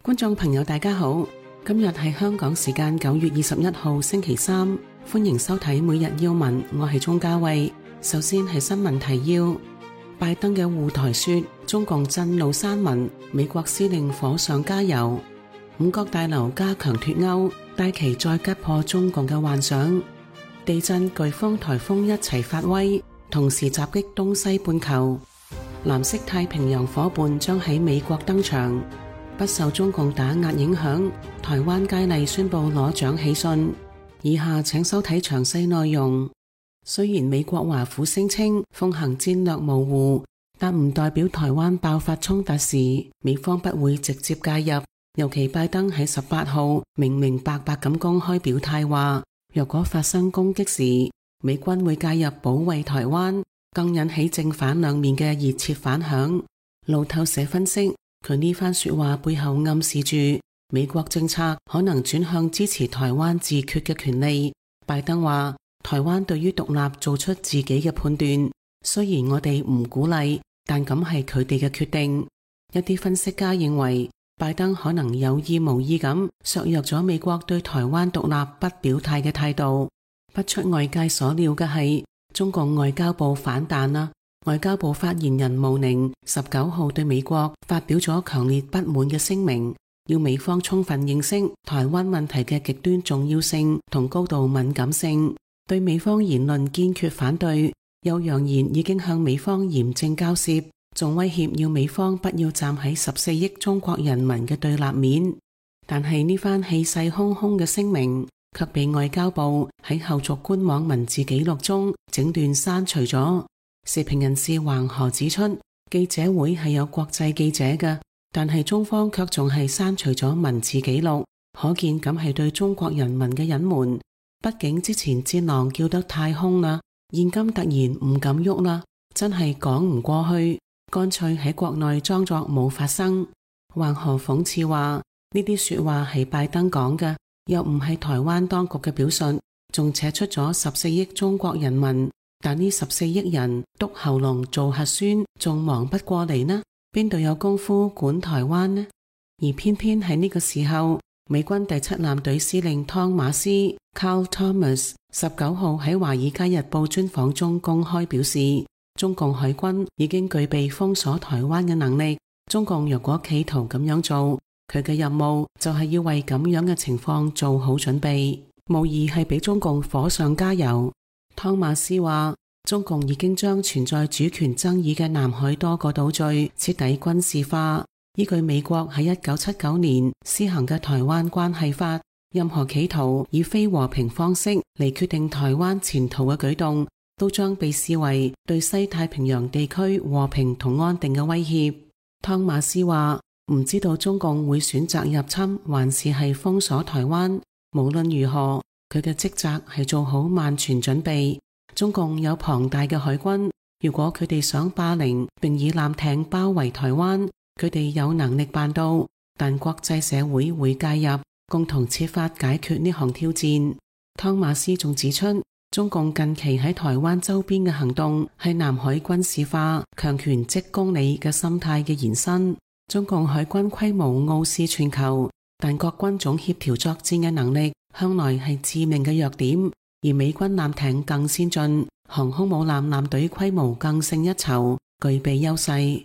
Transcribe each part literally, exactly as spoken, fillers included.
觀眾朋友大家好，今日係香港時間九月二十一號星期三，歡迎收睇每日要聞，我係鍾嘉慧。首先係新聞提要，拜登嘅護台說中共震怒山民，美國司令火上加油。五角大樓加強脫歐，戴琪再擊破中共嘅幻想。地震、颶風、颱風一齊發威，同時襲擊東西半球。藍色太平洋夥伴將喺美國登場。不受中共打壓影響，台灣佳麗宣布攞獎喜訊。以下請收睇詳細內容。雖然美國華府聲稱奉行戰略模糊，但唔代表台灣爆發衝突時，美方不會直接介入。尤其拜登喺十八號明明白白咁公開表態話，若果發生攻擊時，美軍會介入保衛台灣，更引起正反兩面嘅熱切反響。路透社分析，佢呢番說話背後暗示住美國政策可能轉向支持台灣自決嘅權利。拜登話，台灣對於獨立做出自己嘅判斷，雖然我哋唔鼓勵，但咁係佢哋嘅決定。一啲分析家認為，拜登可能有意無意咁削弱咗美國對台灣獨立不表態嘅態度。不出外界所料嘅係，中共外交部反彈啦。外交部發言人毛寧十九號對美國發表咗強烈不滿嘅聲明，要美方充分認識台灣問題嘅極端重要性同高度敏感性，對美方言論堅決反對，又揚言已經向美方嚴正交涉，仲威脅要美方不要站喺十四億中國人民嘅對立面。但係呢番氣勢洶洶嘅聲明，卻被外交部喺後續官網文字記錄中整段刪除咗。時評人士橫河指出，記者會係有國際記者嘅，但係中方卻仲係刪除咗文字記錄，可見咁係對中國人民嘅隱瞞。畢竟之前戰狼叫得太兇啦，現今突然唔敢喐啦，真係講唔過去，乾脆喺國內裝作冇發生。橫河諷刺話，呢啲說話係拜登講嘅，又唔係台灣當局嘅表述，仲扯出咗十四億中國人民。但呢十四億人篤喉嚨做核酸，仲忙不過嚟呢？邊度有功夫管台灣呢？而偏偏喺呢個時候，美軍第七艦隊司令湯馬斯 Carl Thomas 十九號喺《華爾街日報》專訪中公開表示，中共海軍已經具備封鎖台灣嘅能力。中共若果企圖咁樣做，佢嘅任務就係要為咁樣嘅情況做好準備，無疑係俾中共火上加油。湯馬斯話，中共已經將存在主權爭議嘅南海多個島嶼徹底軍事化。依據美國喺一九七九年施行嘅台灣關係法，任何企圖以非和平方式嚟決定台灣前途嘅舉動，都將被視為對西太平洋地區和平同安定嘅威脅。湯馬斯話，唔知道中共會選擇入侵還是係封鎖台灣，無論如何，佢嘅職責係做好萬全準備。中共有龐大嘅海軍，如果佢哋想霸凌並以艦艇包圍台灣，佢哋有能力辦到，但國際社會會介入，共同設法解決呢項挑戰。湯馬斯仲指出，中共近期喺台灣周邊嘅行動係南海軍事化、強權即公理嘅心態嘅延伸。中共海軍規模傲視全球，但各軍種協調作戰嘅能力向來係致命嘅弱點，而美軍艦艇更先進，航空母艦艦隊規模更勝一籌，具備優勢。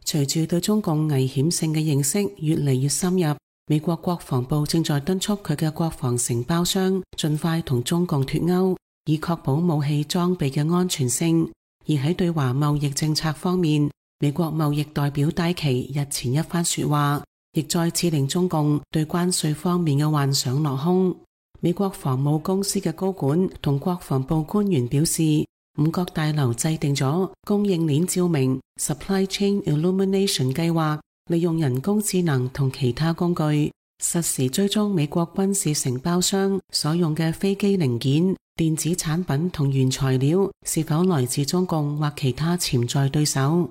隨住對中共危險性嘅認識越嚟越深入，美國國防部正在敦促佢嘅國防承包商盡快同中共脫鈎，以確保武器裝備嘅安全性。而喺對華貿易政策方面，美國貿易代表戴琪日前一番說話，亦再次令中共對關稅方面嘅幻想落空。美國防務公司嘅高管同國防部官員表示，五角大樓制定咗供應鏈照明 Supply Chain Illumination 計劃，利用人工智能同其他工具，實時追蹤美國軍事承包商所用嘅飛機零件、電子產品同原材料是否來自中共或其他潛在對手。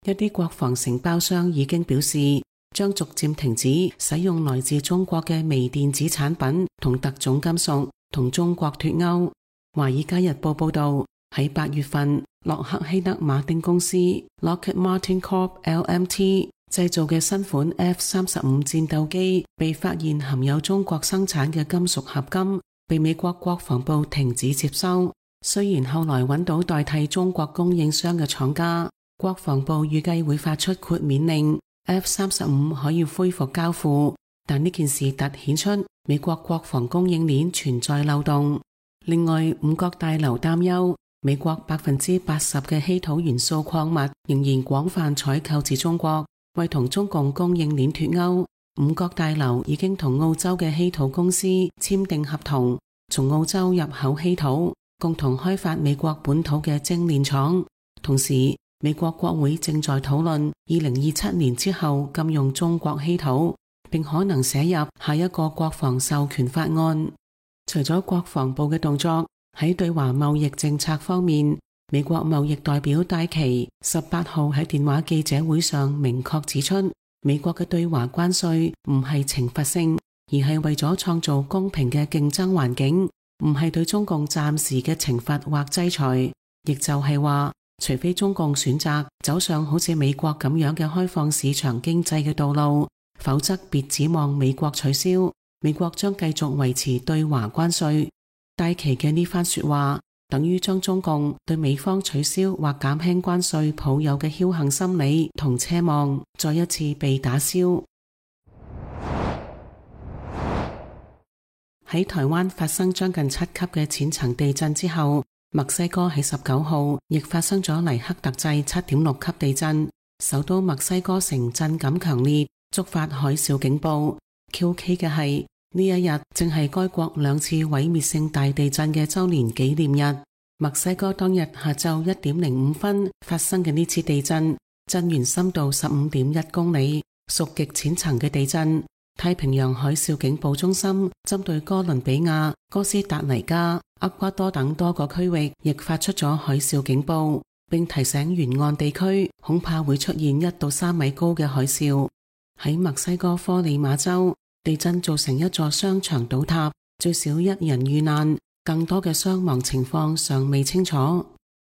一啲國防承包商已經表示，將逐漸停止使用來自中國嘅微電子產品同特種金屬，同中國脫鈎。華爾街日報報道，喺八月份，洛克希德馬丁公司 Lockheed Martin Corp L M T 製造嘅新款 F 三十五 戰鬥機被發現含有中國生產嘅金屬合金，被美國國防部停止接收。雖然後來揾到代替中國供應商嘅廠家，國防部預計會發出豁免令 ，F 三十五 可以恢復交付，但呢件事突顯出美國國防供應鏈存在漏洞。另外，五角大樓擔憂美國百分之八十嘅稀土元素礦物仍然廣泛採購自中國，為同中共供應鏈脫鈎。五角大樓已經同澳洲嘅稀土公司簽訂合同，從澳洲入口稀土，共同開發美國本土嘅精煉廠。同時，美國國會正在討論二零二七年之後禁用中國稀土，並可能寫入下一個國防授權法案。除咗國防部嘅動作，喺對華貿易政策方面，美國貿易代表戴琪十八號喺電話記者會上明確指出，美國嘅對華關稅唔係懲罰性，而係為咗創造公平嘅競爭環境，唔係對中共暫時嘅懲罰或制裁。亦就係話，除非中共選擇走上好似美國咁樣嘅開放市場經濟嘅道路，否則別指望美國取消。美國將繼續維持對華關稅。戴琪嘅呢番說話，等於將中共對美方取消或減輕關稅抱有嘅僥倖心理同奢望，再一次被打消。喺台灣發生將近七級嘅淺層地震之後，墨西哥喺十九號亦發生咗黎克特制七點六級地震，首都墨西哥城震感強烈，觸發海嘯警報。蹊蹺嘅係，呢一日正係該國兩次毀滅性大地震嘅周年紀念日。墨西哥當日下晝一點零五分發生嘅呢次地震，震源深度十五點一公里，屬極淺層嘅地震。太平洋海嘯警報中心針對哥倫比亞、哥斯達黎加、厄瓜多等多個區域亦發出咗海嘯警報，並提醒沿岸地區恐怕會出現一到三米高嘅海嘯。喺墨西哥科里馬州，地震造成一座商場倒塌，最少一人遇難，更多嘅傷亡情況尚未清楚。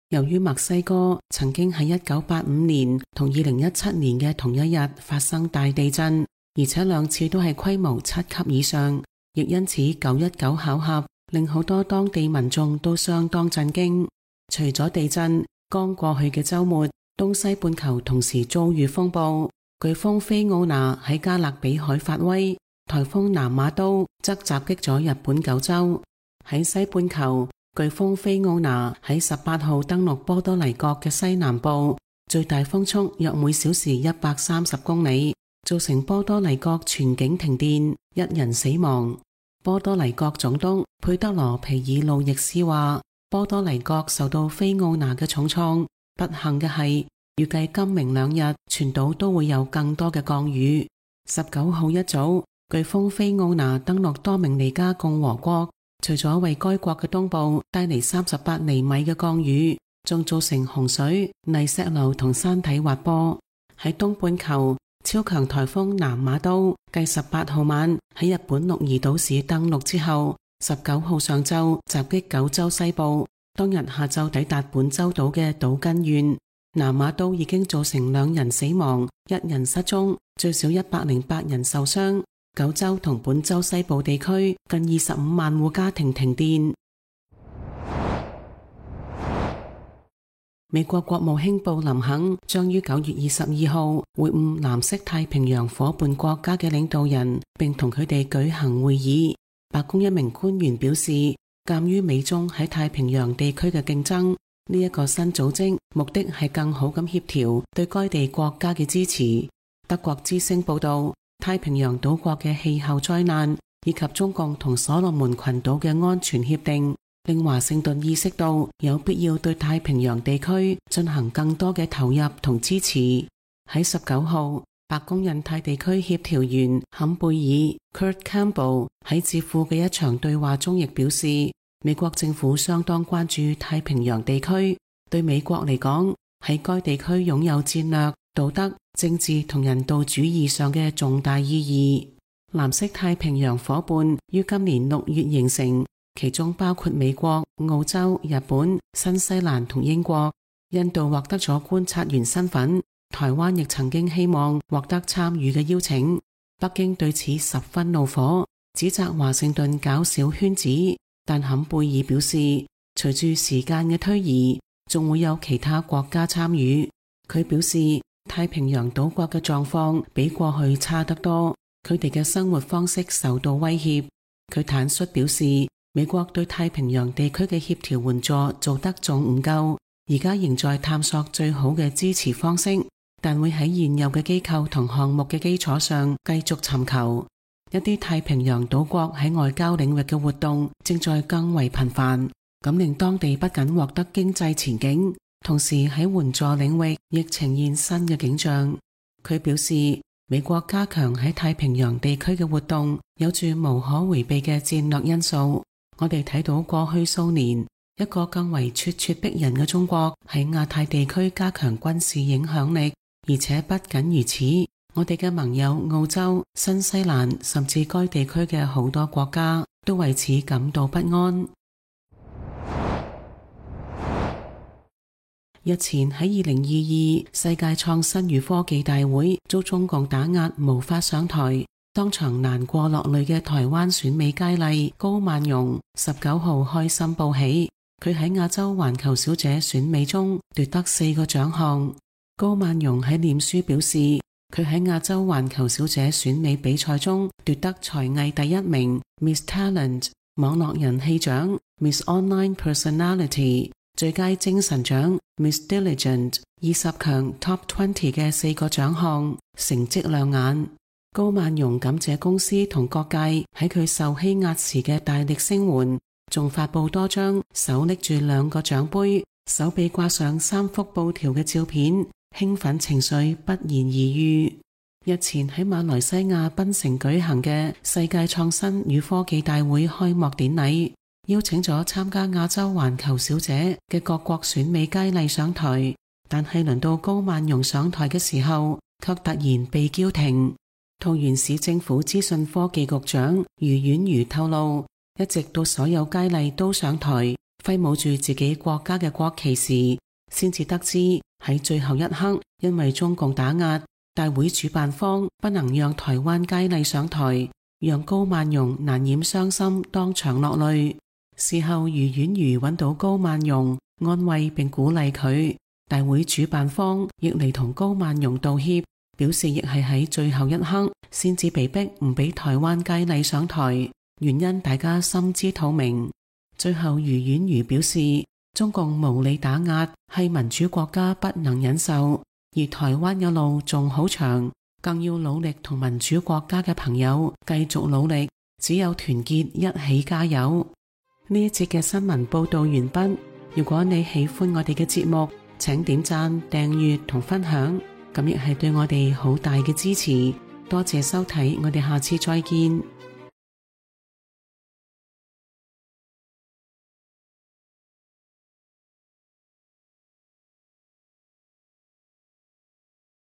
由於墨西哥曾經喺一九八五年同二零一七年嘅同一日發生大地震，而且兩次都係規模七級以上，亦因此九一九巧合令好多當地民眾都相當震驚。除咗地震，剛過去嘅週末，東西半球同時遭遇風暴。颶風菲奧娜喺加勒比海發威，颱風南馬都則襲擊咗日本九州。喺西半球，颶風菲奧娜喺十八號登陸波多黎各嘅西南部，最大風速約每小時一百三十公里，造成波多黎各全境停電，一人死亡。波多黎各總督佩德羅皮爾路易斯話，波多黎各受到菲奧娜嘅重創，不幸嘅係，預計今明兩日全島都會有更多嘅降雨。十九號一早，颶風菲奧娜登陸多明尼加共和國，除咗為該國嘅東部帶嚟三十八厘米嘅降雨，仲造成洪水、泥石流同山體滑坡。喺東半球，超強颱風南馬都繼十八號晚喺日本鹿兒島市登陸之後，十九號上晝襲擊九州西部，當日下晝抵達本州島嘅島根縣。南馬都已經造成兩人死亡，一人失蹤，最少一百零八人受傷。九州同本州西部地區近二十五萬戶家庭停電。美國國務卿布林肯將於九月二十二號會晤藍色太平洋夥伴國家嘅領導人，並同佢哋舉行會議。白宮一名官員表示，鑒於美中喺太平洋地區嘅競爭，呢一個新組織目的係更好咁協調對該地國家嘅支持。德國之聲報道，太平洋島國嘅氣候災難以及中共同所羅門群島嘅安全協定，令華盛頓意識到有必要對太平洋地區進行更多嘅投入同支持。喺十九號，白宮印太地區協調員坎貝爾 Kurt Campbell 喺智庫嘅一場對話中亦表示，美國政府相當關注太平洋地區，對美國嚟講，喺該地區擁有戰略、道德、政治同人道主義上嘅重大意義。藍色太平洋夥伴於今年六月形成，其中包括美國、澳洲、日本、新西蘭同英國。印度獲得咗觀察員身份，台灣亦曾經希望獲得參與嘅邀請。北京對此十分怒火，指責華盛頓搞小圈子。但坎貝爾表示，隨住時間嘅推移，仲會有其他國家參與。佢表示，太平洋島國嘅狀況比過去差得多，佢哋嘅生活方式受到威脅。佢坦率表示，美國對太平洋地區嘅協調援助做得仲唔夠，而家仍在探索最好嘅支持方式，但會喺現有嘅機構同項目嘅基礎上繼續尋求。一啲太平洋島國喺外交領域嘅活動正在更為頻繁，咁令當地不僅獲得經濟前景，同時喺援助領域亦呈現新嘅景象。佢表示，美國加強喺太平洋地區嘅活動有住無可回避嘅戰略因素。我哋睇到過去數年，一個更為咄咄逼人嘅中國喺亞太地區加強軍事影響力，而且不僅如此，我哋嘅盟友澳洲、新西蘭甚至該地區嘅好多國家都為此感到不安。日前喺二零二二世界創新與科技大會遭中共打壓無法上台，當場難過落淚嘅台灣選美佳麗高曼榕十九號開心報喜，佢喺亞洲環球小姐選美中奪得四個獎項。高曼榕喺臉書表示，佢喺亞洲環球小姐選美比賽中奪得才藝第一名 Miss Talent、網絡人氣獎 Miss Online Personality、最佳精神獎 Miss Diligent、二十強 Top 二十嘅四個獎項，成績亮眼。高曼榕感謝公司同各界喺佢受欺壓時嘅大力聲援，仲發佈多張手拎住兩個獎杯、手臂掛上三幅布條嘅照片，興奮情緒不言而喻。日前喺馬來西亞檳城舉行嘅世界創新與科技大會開幕典禮，邀請咗參加亞洲環球小姐嘅各國選美佳麗上台，但係輪到高曼榕上台嘅時候，卻突然被叫停。桃園市政府資訊科技局長余婉如透露，一直到所有佳麗都上台揮舞住自己國家嘅國旗時，先至得知喺最後一刻，因為中共打壓，大會主辦方不能讓台灣佳麗上台，讓高曼榕難掩傷心，當場落淚。事後余婉如揾到高曼榕，安慰並鼓勵佢。大會主辦方亦嚟同高曼榕道歉，表示亦係喺最後一刻先至被逼唔俾台灣佳麗上台，原因大家心知肚明。最後余婉如表示，中共無理打壓係民主國家不能忍受，而台灣嘅路仲好長，更要努力同民主國家嘅朋友繼續努力，只有團結一起加油。呢一節嘅新聞報道完畢。如果你喜歡我哋嘅節目，請點讚、訂閱同分享，咁亦係對我哋好大嘅支持。多謝收睇，我哋下次再見。